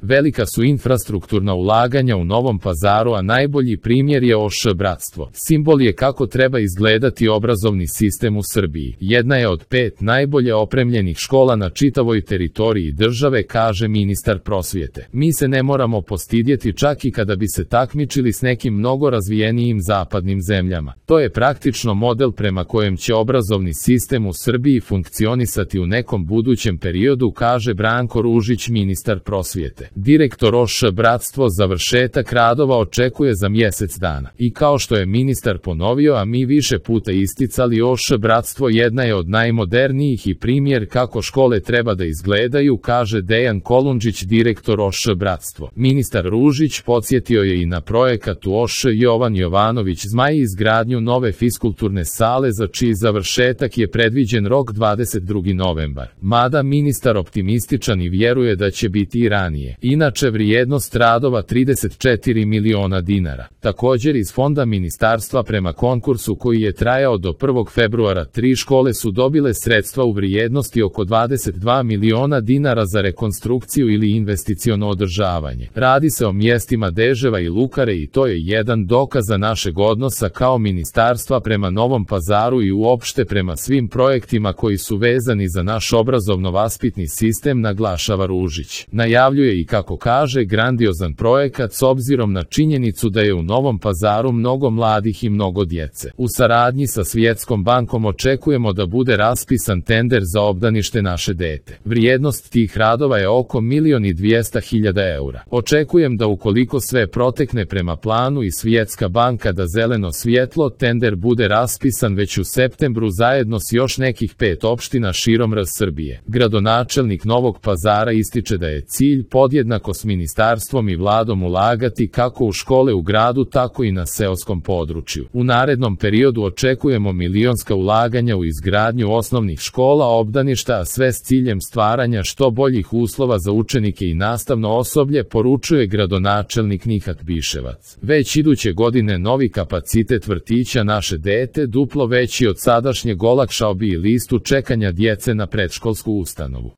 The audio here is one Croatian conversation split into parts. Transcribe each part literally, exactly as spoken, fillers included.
Velika su infrastrukturna ulaganja u Novom Pazaru, a najbolji primjer je O Š Bratstvo. Simbol je kako treba izgledati obrazovni sistem u Srbiji. Jedna je od pet najbolje opremljenih škola na čitavoj teritoriji države, kaže ministar prosvjete. Mi se ne moramo postidjeti čak i kada bi se takmičili s nekim mnogo razvijenijim zapadnim zemljama. To je praktično model prema kojem će obrazovni sistem u Srbiji funkcionisati u nekom budućem periodu, kaže Branko Ružić, ministar prosvjete. Direktor O Š Bratstvo završetak radova očekuje za mjesec dana. I kao što je ministar ponovio, a mi više puta isticali, O Š Bratstvo jedna je od najmodernijih i primjer kako škole treba da izgledaju, kaže Dejan Kolundžić, direktor O Š Bratstvo. Ministar Ružić podsjetio je i na projekat u O Š Jovan Jovanović Zmaj, izgradnju nove fiskulturne sale za čiji završetak je predviđen rok dvadeset drugi novembar. Mada ministar optimističan i vjeruje da će biti i ranije. Inače, vrijednost radova trideset četiri miliona dinara. Također iz fonda ministarstva prema konkursu koji je trajao do prvog februara tri škole su dobile sredstva u vrijednosti oko dvadeset dva miliona dinara za rekonstrukciju ili investiciono održavanje. Radi se o mjestima Deževa i Lukare i to je jedan dokaz našeg odnosa kao ministarstva prema Novom Pazaru i uopšte prema svim projektima koji su vezani za naš obrazovno-vaspitni sistem, naglašava Ružić. Najavljuje i, kako kaže, grandiozan projekat s obzirom na činjenicu da je u Novom Pazaru mnogo mladih i mnogo djece. U saradnji sa Svjetskom bankom očekujemo da bude raspisan tender za obdanište naše dete. Vrijednost tih radova je oko milion i dvjesto hiljada eura. Očekujem da ukoliko sve protekne prema planu i Svjetska banka da zeleno svjetlo, tender bude raspisan već u septembru zajedno s još nekih pet opština širom R Srbije. Gradonačelnik Novog Pazara ističe da je cilj podjednako s ministarstvom i vladom ulagati kako u škole u gradu, tako i na seoskom području. U narednom periodu očekujemo milionska ulaganja u izgradnju osnovnih škola, obdaništa, a sve s ciljem stvaranja što boljih uslova za učenike i nastavno osoblje, poručuje gradonačelnik Nihat Biševac. Već iduće godine novi kapacitet vrtića naše dete, duplo veći od sadašnjeg, olakšao bi listu čekanja djece na predškolsku ustanovu.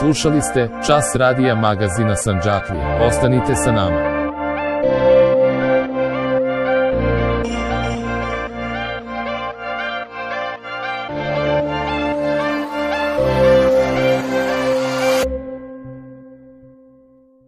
Slušali ste Čas radija magazina Sandžaklija. Ostanite sa nama.